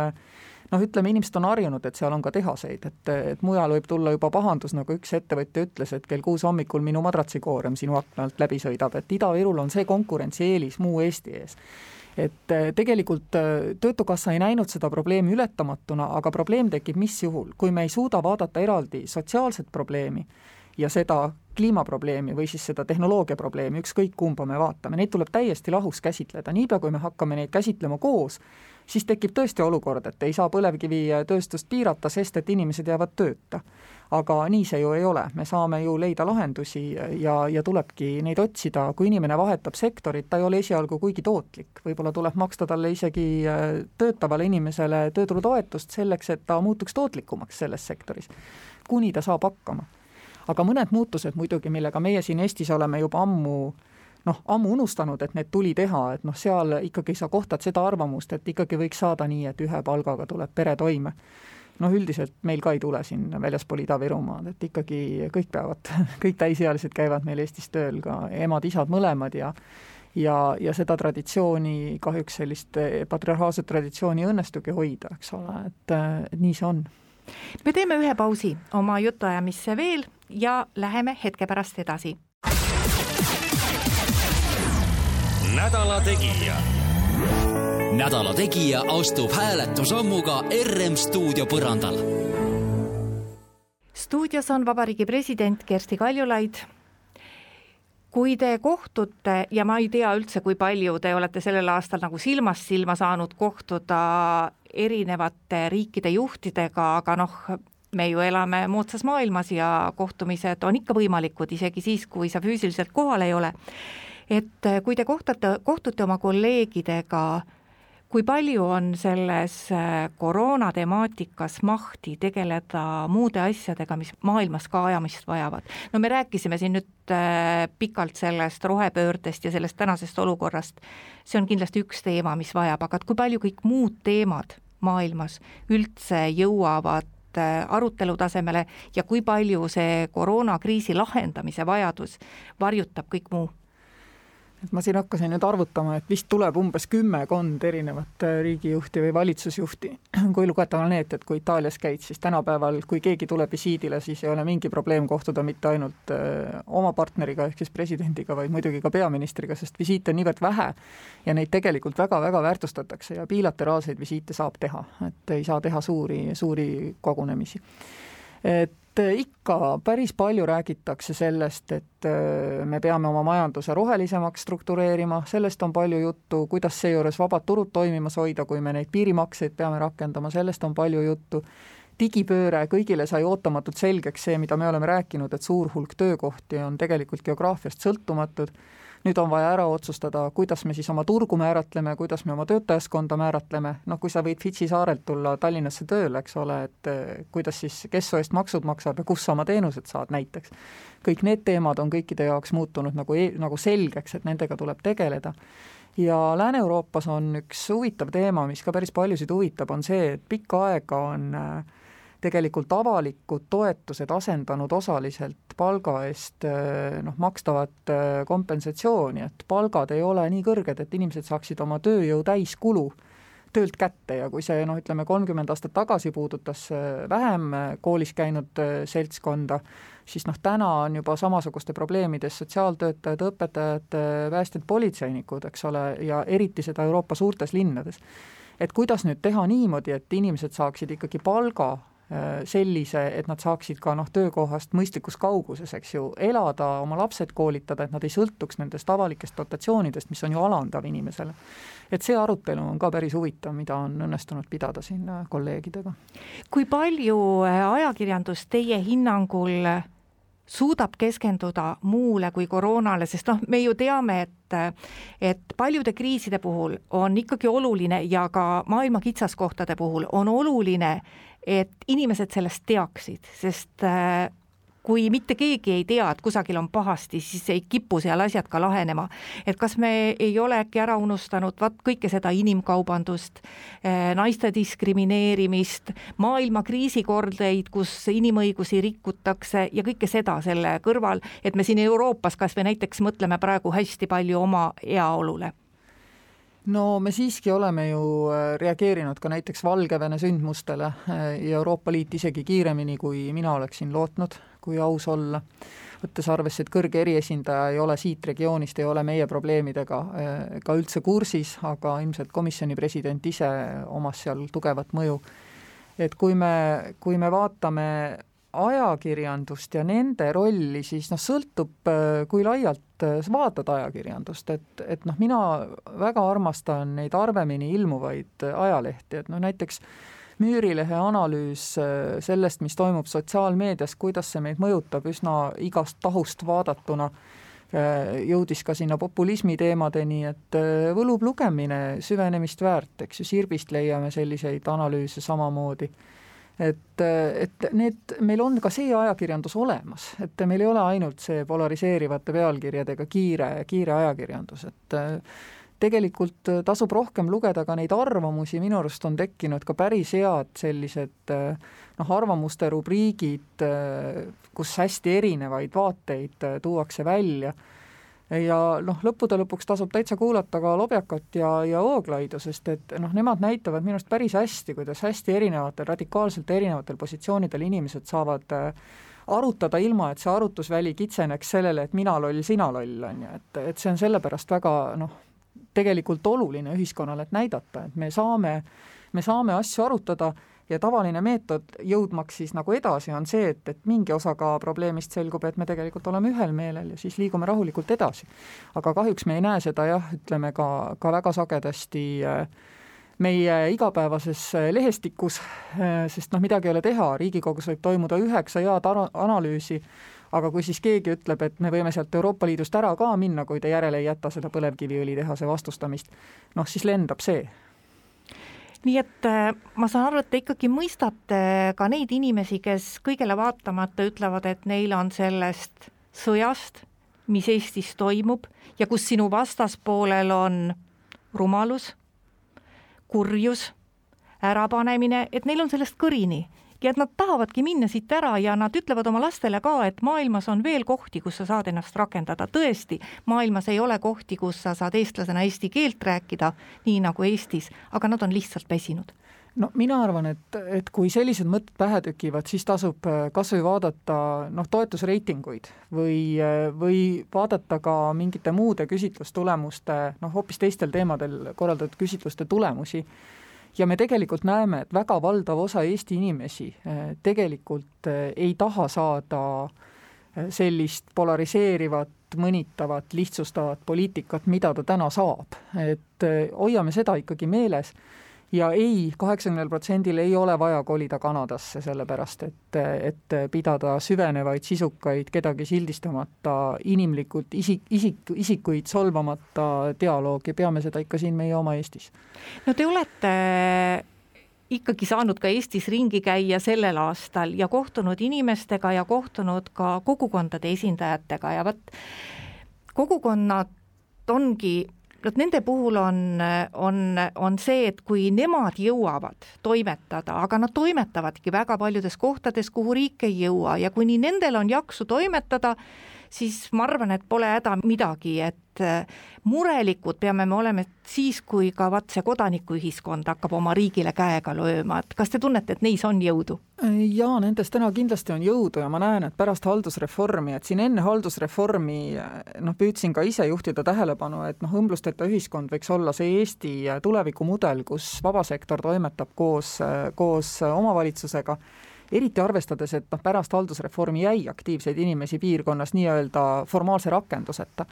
Speaker 5: inimesed on harjunud, et seal on ka tehaseid, et mujal võib tulla juba pahandus, nagu üks ettevõtja ütles, et kell 6 hommikul minu madratsikoorem sinu aknalt läbi sõidab, et Ida-Virul on see konkurentsieelis muu Eesti ees. Et tegelikult Töötukassa ei näinud seda probleemi ületamatuna, aga probleem tekib mis juhul, kui me ei suuda vaadata eraldi sotsiaalset probleemi ja seda kliimaprobleemi või siis seda tehnoloogia probleemi, ükskõik kumba me vaatame, neid tuleb täiesti lahus käsitleda. Niipea, kui me hakkame neid käsitlema koos, siis tekib tõesti olukord, et ei saa põlevkivitööstust piirata, sest et inimesed jäävad tööta. Aga nii see ju ei ole, me saame ju leida lahendusi ja tulebki neid otsida, kui inimene vahetab sektorit, ta ei ole esialgu kuigi tootlik, võib-olla tuleb maksta talle isegi töötavale inimesele tööturutoetust selleks, et ta muutuks tootlikumaks selles sektoris, kuni ta saab hakkama. Aga mõned muutused muidugi, millega meie siin Eestis oleme juba ammu unustanud, et need tuli teha, et seal ikkagi sa kohtad seda arvamust, et ikkagi võiks saada nii, et ühe palgaga tuleb pere toime. Üldiselt meil ka ei tule siin väljaspool Ida-Virumaad, et ikkagi kõik täisealised käivad meil Eestis tööl, ka emad, isad mõlemad ja seda traditsiooni, kahjuks sellist patriarhaalset traditsiooni õnnestugi hoida, eks ole, et nii see on.
Speaker 4: Me teeme ühe pausi oma jutuajamisse veel ja läheme hetke pärast edasi.
Speaker 3: Nädala Tegija. Nädala Tegija astub hääletusammuga RM stuudio põrandal.
Speaker 4: Stuudios on Vabariigi president Kersti Kaljulaid. Kui te kohtute, ja ma ei tea üldse, kui palju te olete sellel aastal nagu silmast silma saanud kohtuda erinevate riikide juhtidega, aga me ju elame moodsas maailmas ja kohtumised on ikka võimalikud, isegi siis, kui sa füüsiliselt kohal ei ole. Et kui te kohtute oma kolleegidega, kui palju on selles koroona temaatikas mahti tegeleda muude asjadega, mis maailmas ka ajamist vajavad? Me rääkisime siin nüüd pikalt sellest rohepöördest ja sellest tänasest olukorrast. See on kindlasti üks teema, mis vajab, aga kui palju kõik muud teemad maailmas üldse jõuavad arutelu tasemele ja kui palju see koroonakriisi lahendamise vajadus varjutab kõik muu?
Speaker 5: et ma siin hakkasin nüüd arvutama, et vist tuleb umbes 10 erinevat riigijuhti või valitsusjuhti, kui lugeda need, et kui Itaalias käid, siis tänapäeval, kui keegi tuleb visiidile, siis ei ole mingi probleem kohtuda mitte ainult oma partneriga ehk siis presidendiga, vaid muidugi ka peaministriga, sest visiite on niivõrd vähe ja neid tegelikult väga-väga väärtustatakse ja bilateraalseid visiite saab teha, et ei saa teha suuri kogunemisi. Et ikka päris palju räägitakse sellest, et me peame oma majanduse rohelisemaks struktureerima, sellest on palju juttu, kuidas seejuures vabad turud toimimas hoida, kui me neid piirimakseid peame rakendama, sellest on palju juttu. Digipööre, kõigile sai ootamatult selgeks see, mida me oleme rääkinud, et suur hulk töökohti on tegelikult geograafiast sõltumatud. Nüüd on vaja ära otsustada, kuidas me siis oma turgu määratleme, kuidas me oma töötajaskonda määratleme. Kui sa võid Fitsi saarelt tulla Tallinnasse tööle, eks ole, et kuidas siis, kes su eest maksud maksab ja kus sa oma teenused saad näiteks. Kõik need teemad on kõikide jaoks muutunud nagu selgeks, et nendega tuleb tegeleda. Ja Lääne-Euroopas on üks huvitav teema, mis ka päris paljusid huvitab, on see, et pikka aega on tegelikult avalikud toetused asendanud osaliselt palga eest makstavat kompensatsiooni, et palgad ei ole nii kõrged, et inimesed saaksid oma tööjõu täiskulu töölt kätte ja kui see 30 aastat tagasi puudutas vähem koolis käinud seltskonda, siis täna on juba samasuguste probleemides sotsiaaltöötajad, õpetajad, päästjad, politseinikud, eks ole, ja eriti seda Euroopa suurtes linnades. Et kuidas nüüd teha niimoodi, et inimesed saaksid ikkagi palga sellise, et nad saaksid ka töökohast mõistlikus kauguses, eks ju, elada, oma lapsed koolitada, et nad ei sõltuks nendest avalikest dotatsioonidest, mis on ju alandav inimesele. Et see arutelu on ka päris huvitav, mida on õnnestunud pidada siin kolleegidega.
Speaker 4: Kui palju ajakirjandus teie hinnangul suudab keskenduda muule kui koroonale, sest me ju teame, et paljude kriiside puhul on ikkagi oluline ja ka maailma kitsaskohtade puhul on oluline, et inimesed sellest teaksid, sest kui mitte keegi ei tea, et kusagil on pahasti, siis ei kipu seal asjad ka lahenema. Et kas me ei ole äkki ära unustanud kõike seda inimkaubandust, naiste diskrimineerimist, maailma kriisikordeid, kus inimõigusi rikutakse ja kõike seda selle kõrval, et me siin Euroopas kas või näiteks mõtleme praegu hästi palju oma heaolule.
Speaker 5: No me siiski oleme ju reageerinud ka näiteks Valgevene sündmustele ja Euroopa Liit isegi kiiremini, kui mina oleksin lootnud, kui aus olla. Võttes arvesse, et kõrge eriesindaja ei ole siit regioonist, ei ole meie probleemidega ka üldse kursis, aga ilmselt komisjoni president ise omas seal tugevat mõju. Et kui me vaatame ajakirjandust ja nende rolli, siis sõltub, kui laialt vaatad ajakirjandust, et mina väga armastan neid harvemini ilmuvaid ajalehti, et näiteks Müürilehe analüüs sellest, mis toimub sotsiaalmeedias, kuidas see meid mõjutab üsna igast tahust vaadatuna, jõudis ka sinna populismi teemadeni, et võlub lugemine süvenemist väärt, eks ju, Sirbist leiame selliseid analüüse samamoodi. Et meil on ka see ajakirjandus olemas, et meil ei ole ainult see polariseerivate pealkirjadega kiire ajakirjandus, et tegelikult tasub rohkem lugeda ka neid arvamusi, minu arust on tekkinud ka päris head sellised arvamuste rubriigid, kus hästi erinevaid vaateid tuuakse välja. Ja lõppude lõpuks tasub täitsa kuulata ka Lobjakat ja Ooglaidu, sest et nemad näitavad minu arust päris hästi, kuidas hästi radikaalselt erinevatel positsioonidel inimesed saavad arutada ilma, et see arutusväli kitseneks sellele, et mina loll, sina loll on ju, et see on sellepärast väga tegelikult oluline ühiskonnale, et näidata, et me saame asju arutada ja tavaline meetod jõudmaks siis edasi on see, et mingi osaga probleemist selgub, et me tegelikult oleme ühel meelel ja siis liigume rahulikult edasi. Aga kahjuks me ei näe seda ütleme ka väga sagedasti meie igapäevases lehestikus, sest midagi ei ole teha, Riigikogus võib toimuda 9 head analüüsi, aga kui siis keegi ütleb, et me võime sealt Euroopa Liidust ära ka minna, kui te järele ei jäta seda põlevkiviõlitehase vastustamist, siis lendab see.
Speaker 4: Nii et ma saan aru, et te ikkagi mõistate ka neid inimesi, kes kõigele vaatamata ütlevad, et neil on sellest sõjast, mis Eestis toimub ja kus sinu vastaspoolel on rumalus, kurjus, ärapanemine, et neil on sellest kõrini ja et nad tahavadki minna siit ära ja nad ütlevad oma lastele ka, et maailmas on veel kohti, kus sa saad ennast rakendada. Tõesti, maailmas ei ole kohti, kus sa saad eestlasena eesti keelt rääkida, nii nagu Eestis, aga nad on lihtsalt väsinud.
Speaker 5: No mina arvan, et kui sellised mõtted pähe tükivad, siis tasub kas või vaadata toetusreitinguid või vaadata ka mingite muude küsitlustulemuste, hoopis teistel teemadel korraldatud küsitluste tulemusi. Ja me tegelikult näeme, et väga valdav osa Eesti inimesi tegelikult ei taha saada sellist polariseerivat, mõnitavat, lihtsustavat poliitikat, mida ta täna saab. Et hoiame seda ikkagi meeles. Ja 80% ei ole vaja kolida Kanadasse, sellepärast, et pidada süvenevaid, sisukaid, kedagi sildistamata, inimlikult isikuid solvamata dialoogi, peame seda ikka siin meie oma Eestis.
Speaker 4: No te olete ikkagi saanud ka Eestis ringi käia sellel aastal ja kohtunud inimestega ja kohtunud ka kogukondade esindajatega ja kogukonnad ongi nende puhul on see, et kui nemad jõuavad toimetada, aga nad toimetavadki väga paljudes kohtades, kuhu riik ei jõua ja kuni nendel on jaksu toimetada, siis ma arvan, et pole häda midagi, et murelikud peame me olema siis, kui ka see kodanikuühiskond hakkab oma riigile käega lööma. Et kas te tunnete, et neis on jõudu?
Speaker 5: Jaa, nendes täna kindlasti on jõudu ja ma näen, et pärast haldusreformi, et siin enne haldusreformi püüdsin ka ise juhtida tähelepanu, et õmblusteta ühiskond võiks olla see Eesti tulevikumudel, kus vabasektor toimetab koos omavalitsusega, eriti arvestades, et pärast haldusreformi jäi aktiivseid inimesi piirkonnas nii-öelda formaalse rakenduseta.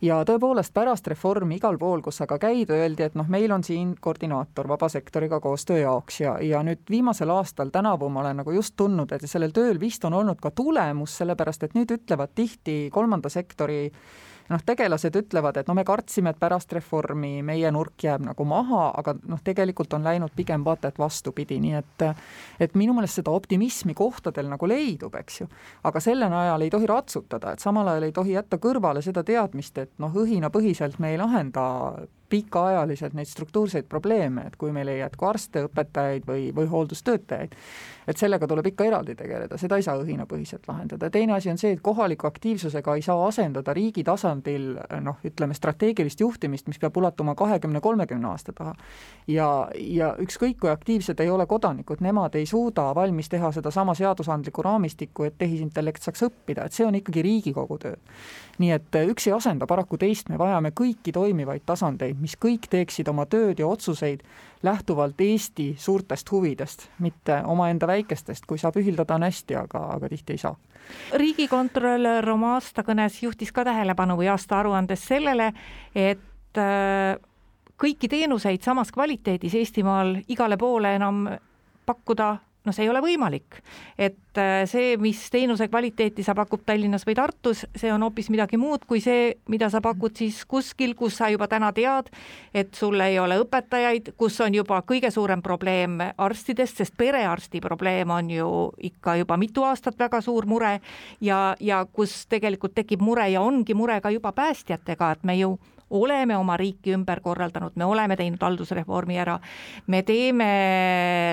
Speaker 5: Ja tõepoolest pärast reformi igal pool, kus aga käid, öeldi, et meil on siin koordinaator vabasektoriga koostöö jaoks ja nüüd viimasel aastal tänavu ma olen just tundnud, et sellel tööl vist on olnud ka tulemus, sellepärast et nüüd ütlevad tihti kolmanda sektori tegelased ütlevad, et me kartsime, et pärast reformi meie nurk jääb maha, aga tegelikult on läinud pigem vaata, et vastupidi, nii et minu meelest seda optimismi kohtadel leidub, eks ju. Aga selle ajal ei tohi ratsutada, et samal ajal ei tohi jätta kõrvale seda teadmist, et õhina põhiselt me ei lahenda pikaajaliselt neid struktuurseid probleeme, et kui meil ei jätku arste, õpetajaid või hooldustöötajaid, et sellega tuleb ikka eraldi tegeleda, seda ei saa õhinapõhiselt lahendada. Teine asi on see, et kohaliku aktiivsusega ei saa asendada riigi tasandil strateegilist juhtimist, mis peab ulatuma 20-30 aasta taha. Ja ükskõik kui aktiivsed ei ole kodanikud, nemad ei suuda valmis teha seda sama seadusandliku raamistikku, et tehisintellekt saaks õppida, et see on ikkagi Riigikogu töö. Nii et üks ei asenda paraku teist, me vajame kõiki toimivaid tasandeid, mis kõik teeksid oma tööd ja otsuseid lähtuvalt Eesti suurtest huvidest, mitte omaenda väikestest, kui saab ühildada on hästi, aga tihti ei saa.
Speaker 4: Riigikontrolör oma aastakõnes juhtis ka tähelepanu või aasta aruandes sellele, et kõiki teenuseid samas kvaliteedis Eestimaal igale poole enam pakkuda, see ei ole võimalik. Et see, mis teenuse kvaliteeti sa pakub Tallinnas või Tartus, see on hoopis midagi muud kui see, mida sa pakud siis kuskil, kus sa juba täna tead, et sul ei ole õpetajaid, kus on juba kõige suurem probleem arstidest, sest perearsti probleem on ju ikka juba mitu aastat väga suur mure ja kus tegelikult tekib mure ja ongi mure ka juba päästjatega, et me ju oleme oma riiki ümber korraldanud, me oleme teinud haldusreformi ära, me teeme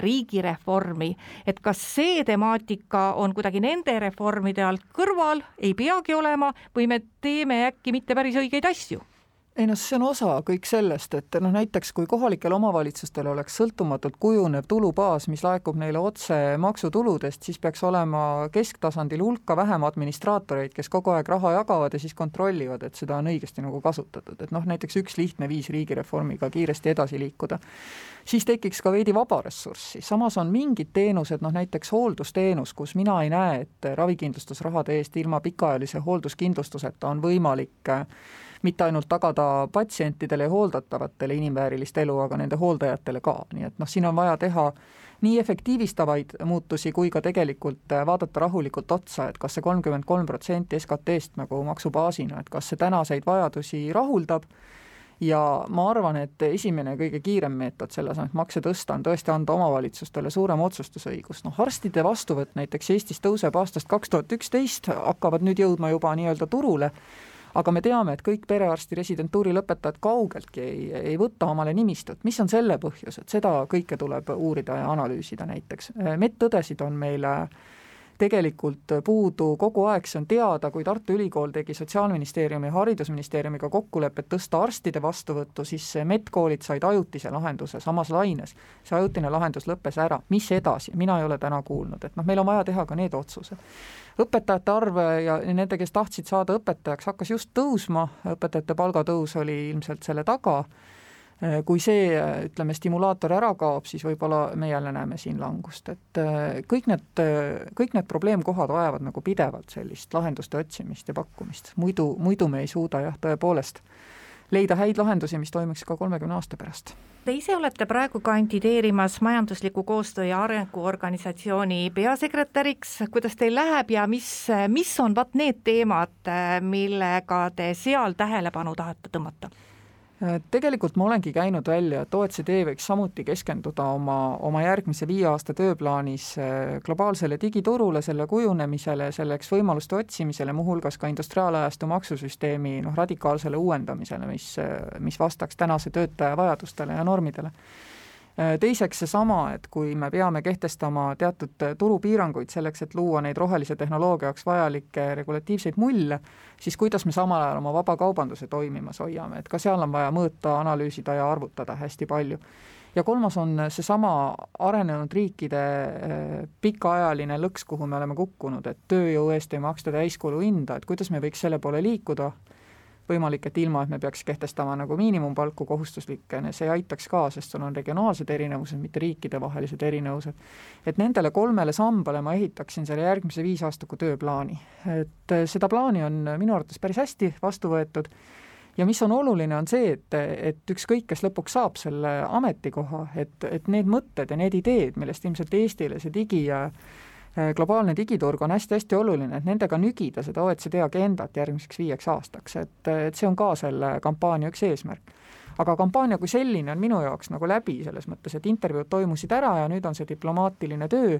Speaker 4: riigireformi, et kas see temaatika on kuidagi nende reformide alt kõrval, ei peagi olema, või me teeme äkki mitte päris õigeid asju?
Speaker 5: Ei see on osa kõik sellest, et näiteks kui kohalikel omavalitsustel oleks sõltumatult kujunev tulubaas, mis laekub neile otse maksutuludest, siis peaks olema kesktasandil hulka vähem administraatoreid, kes kogu aeg raha jagavad ja siis kontrollivad, et seda on õigesti kasutatud. Et näiteks üks lihtne viis riigireformiga kiiresti edasi liikuda. Siis tekiks ka veidi vaba ressurssi. Samas on mingid teenused, näiteks hooldusteenus, kus mina ei näe, et ravikindlustusrahade eest ilma pikaajalise hoolduskindlustuseta on võimalik mitte ainult tagada patsientidele ja hooldatavatele inimväärilist elu, aga nende hooldajatele ka. Nii et siin on vaja teha nii efektiivistavaid muutusi, kui ka tegelikult vaadata rahulikult otsa, et kas see 33% SKT-st maksubaasina, et kas see tänaseid vajadusi rahuldab. Ja ma arvan, et esimene kõige kiirem meetod selles on, et makse tõsta, on tõesti anda omavalitsustele suurem otsustusõigus. Arstide vastuvõtt näiteks Eestis tõuseb aastast 2011, hakkavad nüüd jõudma juba nii-öelda turule, aga me teame, et kõik perearsti residentuuri lõpetajad kaugeltki ei võta omale nimistut. Mis on selle põhjus, et seda kõike tuleb uurida ja analüüsida näiteks. Medõdesid on meile tegelikult puudu kogu aeg, see on teada, kui Tartu Ülikool tegi Sotsiaalministeeriumi ja Haridusministeeriumiga kokkulepet tõsta arstide vastuvõttu, siis medkoolid said ajutise lahenduse samas laines. See ajutine lahendus lõppes ära. Mis edasi? Mina ei ole täna kuulnud, et meil on vaja teha ka need otsused. Õpetajate arv ja nende, kes tahtsid saada õpetajaks, hakkas just tõusma, õpetajate palgatõus oli ilmselt selle taga. Kui see, ütleme, stimulaator ära kaob, siis võib-olla me jälle näeme siin langust, et kõik need probleemkohad vajavad nagu pidevalt sellist lahenduste otsimist ja pakkumist. Muidu me ei suuda tõepoolest leida häid lahendusi, mis toimiks ka 30 aasta pärast.
Speaker 4: Te ise olete praegu kandideerimas majandusliku koostöö ja arenguorganisatsiooni peasekretäriks. Kuidas teil läheb ja mis on need teemad, millega te seal tähelepanu tahate tõmmata?
Speaker 5: Tegelikult ma olengi käinud välja, et OECD võiks samuti keskenduda oma järgmise 5 aasta tööplaanis globaalsele digiturule, selle kujunemisele, selleks võimaluste otsimisele, muuhulgas ka industriaalajastu maksusüsteemi radikaalsele uuendamisele, mis vastaks tänase töötaja vajadustele ja normidele. Teiseks seesama, et kui me peame kehtestama teatud turupiiranguid selleks, et luua neid rohelise tehnoloogia jaoks vajalikke regulatiivseid mulle, siis kuidas me samal ajal oma vabakaubanduse toimimas hoiame, et ka seal on vaja mõõta, analüüsida ja arvutada hästi palju. Ja kolmas on seesama arenenud riikide pikaajaline lõks, kuhu me oleme kukkunud, et tööjõu eest ei maksta täiskulu hinda, et kuidas me võiks selle poole liikuda, võimalik, et ilma, et me peaks kehtestama nagu miinimumpalku kohustuslikke, see aitaks ka, sest sul on regionaalsed erinevused, mitte riikide vahelised erinevused. Et nendele 3 sambale ma ehitaksin selle järgmise 5 aastaku tööplaani. Et seda plaani on minu arvates päris hästi vastu võetud ja mis on oluline, on see, et ükskõik, kes lõpuks saab selle ametikoha, et need mõtted ja need ideed, millest ilmselt Eestile see globaalne digiturg on hästi-hästi oluline, et nendega nügida seda OECD agendat järgmiseks 5 aastaks, et see on ka selle kampaania üks eesmärk. Aga kampaania kui selline on minu jaoks nagu läbi selles mõttes, et intervjuud toimusid ära ja nüüd on see diplomaatiline töö.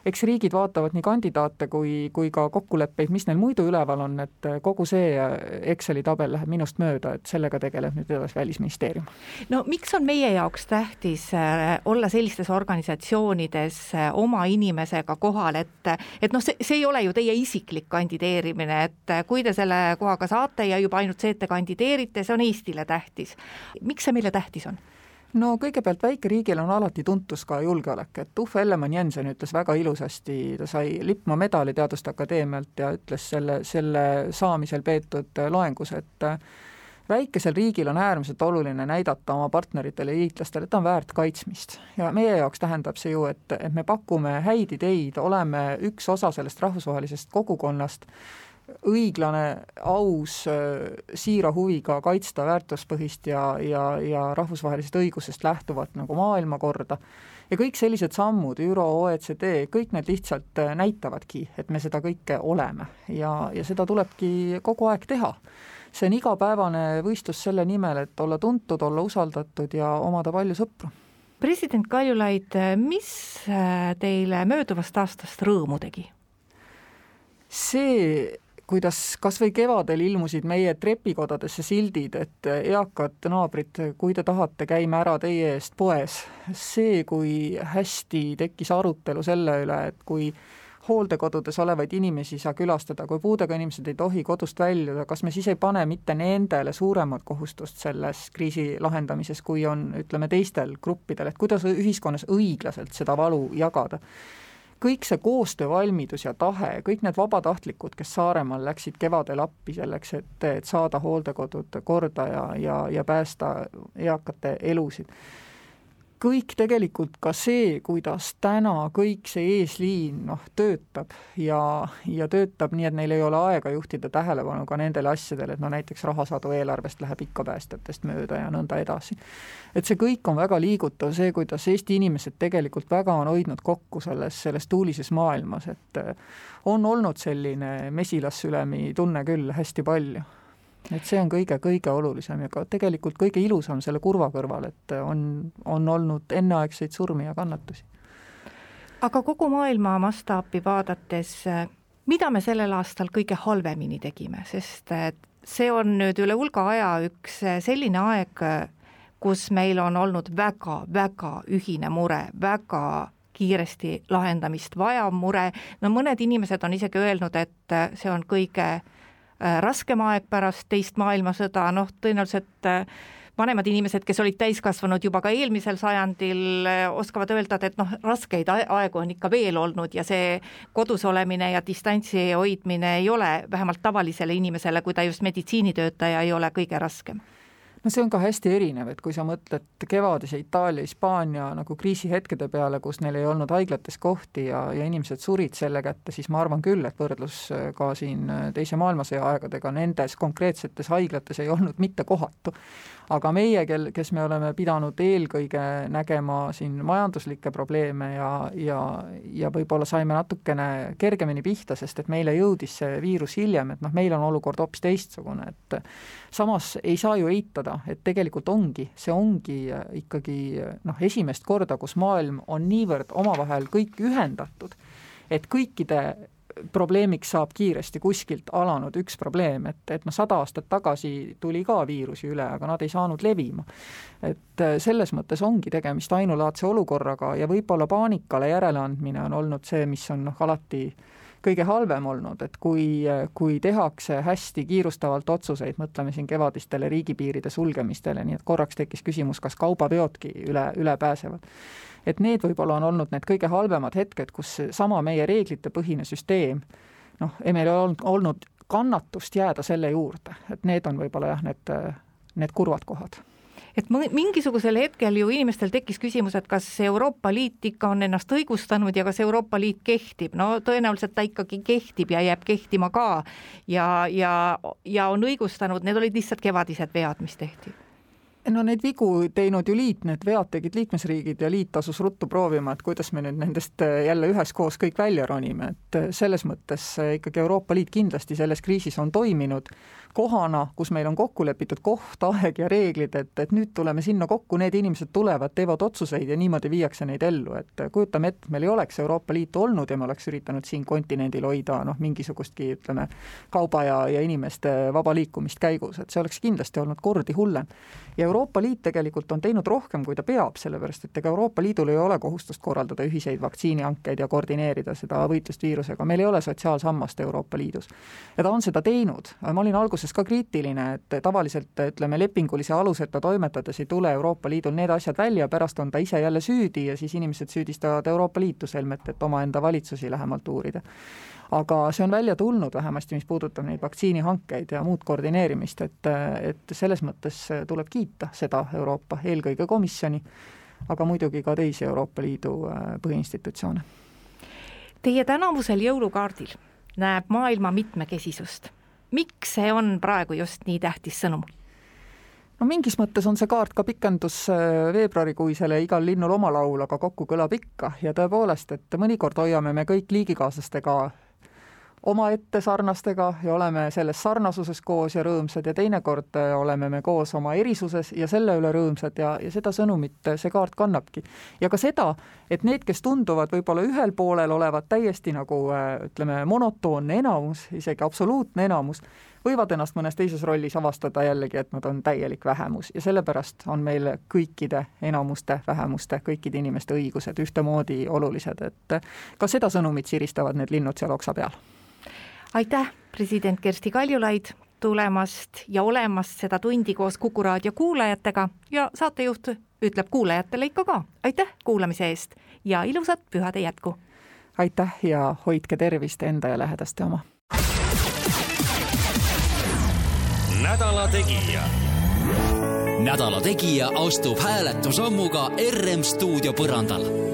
Speaker 5: Eks riigid vaatavad nii kandidaate kui ka kokkuleppeid, mis neil muidu üleval on, et kogu see Exceli tabel läheb minust mööda, et sellega tegeleb nüüd edasi Välisministeerium.
Speaker 4: No miks on meie jaoks tähtis olla sellistes organisatsioonides oma inimesega kohal, et see ei ole ju teie isiklik kandideerimine, et kui te selle kohaga saate ja juba ainult see, et te kandideerite, see on Eestile tähtis. Miks see meile tähtis on?
Speaker 5: No kõigepealt väikeriigil on alati tuntus ka julgeolek, et Uffe Ellemann-Jensen ütles väga ilusasti, ta sai Lippmaa medali Teaduste Akadeemialt ja ütles selle saamisel peetud loengus, et väikesel riigil on äärmiselt oluline näidata oma partneritele ja liitlastele, et ta on väärt kaitsmist. Ja meie jaoks tähendab see ju, et me pakume häid ideid, oleme üks osa sellest rahvusvahelisest kogukonnast, õiglane, aus, siira huviga kaitsta väärtuspõhist ja rahvusvahelisest õigusest lähtuvat nagu maailmakorda. Ja kõik sellised sammud, ÜRO, OECD, kõik need lihtsalt näitavadki, et me seda kõike oleme ja seda tulebki kogu aeg teha. See on igapäevane võistlus selle nimel, et olla tuntud, olla usaldatud ja omada palju sõpru.
Speaker 4: President Kaljulaid, mis teile mööduvast aastast rõõmu tegi?
Speaker 5: See, kuidas kas või kevadel ilmusid meie trepikodadesse sildid, et eakad naabrid, kui te tahate, käime ära teie eest poes. See, kui hästi tekkis arutelu selle üle, et kui hooldekodudes olevaid inimesi saa külastada, kui puudega inimesed ei tohi kodust väljuda, kas me siis ei pane mitte nendele suuremat kohustust selles kriisi lahendamises, kui on, ütleme, teistel gruppidel, et kuidas ühiskonnas õiglaselt seda valu jagada. Kõik see koostöövalmidus ja tahe, kõik need vabatahtlikud, kes Saaremaal läksid kevadel appi selleks, et saada hooldekodud korda ja päästa eakate elusid. Kõik tegelikult ka see, kuidas täna kõik see eesliin töötab ja töötab nii, et neil ei ole aega juhtida tähelepanu ka nendele asjadele, et näiteks rahasadu eelarvest läheb ikka päästjatest mööda ja nõnda edasi. Et see kõik on väga liigutav, see, kuidas Eesti inimesed tegelikult väga on hoidnud kokku selles tuulises maailmas, et on olnud selline mesilassülemi tunne küll hästi palju. Et see on kõige olulisem ja ka tegelikult kõige ilusam selle kurva kõrval, et on olnud enneaegseid surmi ja kannatusi.
Speaker 4: Aga kogu maailma mastaapi vaadates, mida me sellel aastal kõige halvemini tegime, sest see on nüüd üle hulga aja üks selline aeg, kus meil on olnud väga ühine mure, väga kiiresti lahendamist vajav mure. No mõned inimesed on isegi öelnud, et see on kõige raskem aeg pärast teist maailmasõda, tõenäoliselt vanemad inimesed, kes olid täiskasvanud juba ka eelmisel sajandil, oskavad öelda, et raskeid aegu on ikka veel olnud ja see kodus olemine ja distantsi hoidmine ei ole vähemalt tavalisele inimesele, kui ta just meditsiinitöötaja ei ole kõige raskem.
Speaker 5: No see on ka hästi erinev, et kui sa mõtled kevadise Itaalia, Hispaania nagu kriisihetkede peale, kus neil ei olnud haiglates kohti ja inimesed surid selle kätte, siis ma arvan küll, et võrdlus ka siin teise maailmasõja aegadega nendes konkreetsetes haiglates ei olnud mitte kohatu. Aga meie, kes me oleme pidanud eelkõige nägema siin majanduslikke probleeme ja võib-olla saime natukene kergemini pihta, sest et meile jõudis see viirus hiljem, et meil on olukord hoopis teistsugune, et samas ei saa ju eitada, et tegelikult see ongi ikkagi esimest korda, kus maailm on niivõrd omavahel kõik ühendatud, et kõikide probleemiks saab kiiresti kuskilt alanud üks probleem, et 100 aastat tagasi tuli ka viirusi üle, aga nad ei saanud levima. Et selles mõttes ongi tegemist ainulaadse olukorraga ja võib-olla paanikale järeleandmine on olnud see, mis on alati kõige halvem olnud, et kui tehakse hästi kiirustavalt otsuseid, mõtleme siin kevadistele riigipiiride sulgemistele, nii et korraks tekkis küsimus, kas kaubaveodki üle pääsevad. Et need võib-olla on olnud need kõige halvemad hetked, kus sama meie reeglite põhine süsteem, meil on olnud kannatust jääda selle juurde, et need on võib-olla need kurvad kohad.
Speaker 4: Et mingisugusel hetkel ju inimestel tekkis küsimus, et kas Euroopa Liit ikka on ennast õigustanud ja kas Euroopa Liit kehtib. Tõenäoliselt ta ikkagi kehtib ja jääb kehtima ka ja on õigustanud, need olid lihtsalt kevadised vead, mis tehti.
Speaker 5: Neid vigu teinud ju liit, need vead tegid liikmesriigid ja liit asus ruttu proovima, et kuidas me nüüd nendest jälle üheskoos kõik välja ronime, et selles mõttes ikkagi Euroopa Liit kindlasti selles kriisis on toiminud kohana, kus meil on kokku lepitud koht, aeg ja reeglid, et nüüd tuleme sinna kokku, need inimesed tulevad, teevad otsuseid ja niimoodi viiakse neid ellu, et kujutame ette, meil ei oleks Euroopa Liitu olnud ja me oleks üritanud siin kontinendil hoida mingisugustki, kauba ja inimeste vaba liikumist käigus, et see oleks kindlasti olnud kordi hullem. Ja Euroopa Liit tegelikult on teinud rohkem, kui ta peab, sellepärast, et Euroopa Liidul ei ole kohustust korraldada ühiseid vaktsiinihankeid ja koordineerida seda võitlust viirusega. Meil ei ole sotsiaalsammast Euroopa Liidus. Ja ta on seda teinud. Ma olin alguses ka kriitiline, et tavaliselt lepingulise aluseta toimetades ei tule Euroopa Liidul need asjad välja, pärast on ta ise jälle süüdi ja siis inimesed süüdistavad Euroopa Liitu selmet, et omaenda valitsusi lähemalt uurida. Aga see on välja tulnud vähemasti, mis puudutab neid vaktsiinihankeid ja muud koordineerimist, et selles mõttes tuleb kiita seda Euroopa eelkõige komisjoni, aga muidugi ka teisi Euroopa Liidu põhiinstitutsioone.
Speaker 4: Teie tänavusel jõulukaardil näeb maailma mitmekesisust. Miks see on praegu just nii tähtis sõnum?
Speaker 5: Mingis mõttes on see kaart ka pikendus veebruarikuisele igal linnul oma laul, aga kokku kõlab ikka ja tõepoolest, et mõnikord hoiame me kõik liigikaaslastega omaette sarnastega ja oleme selles sarnasuses koos ja rõõmsad ja teinekord oleme me koos oma erisuses ja selle üle rõõmsad ja seda sõnumit see kaart kannabki. Ja ka seda, et need, kes tunduvad võib-olla ühel poolel olevat täiesti monotoonne enamus, isegi absoluutne enamus, võivad ennast mõnes teises rollis avastada jällegi, et nad on täielik vähemus ja sellepärast on meil kõikide enamuste, vähemuste, kõikide inimeste õigused ühtemoodi olulised, et ka seda sõnumit siristavad need linnud seal oksa peal.
Speaker 4: Aitäh, president Kersti Kaljulaid, tulemast ja olemast seda tundi koos Kuku Raadio kuulajatega ja saatejuht ütleb kuulajatele ikka ka. Aitäh kuulamise eest ja ilusat pühade jätku.
Speaker 5: Aitäh ja hoidke tervist enda ja lähedaste oma.
Speaker 3: Nädala Tegija. Nädala Tegija astub hääletusammuga RM stuudio põrandal.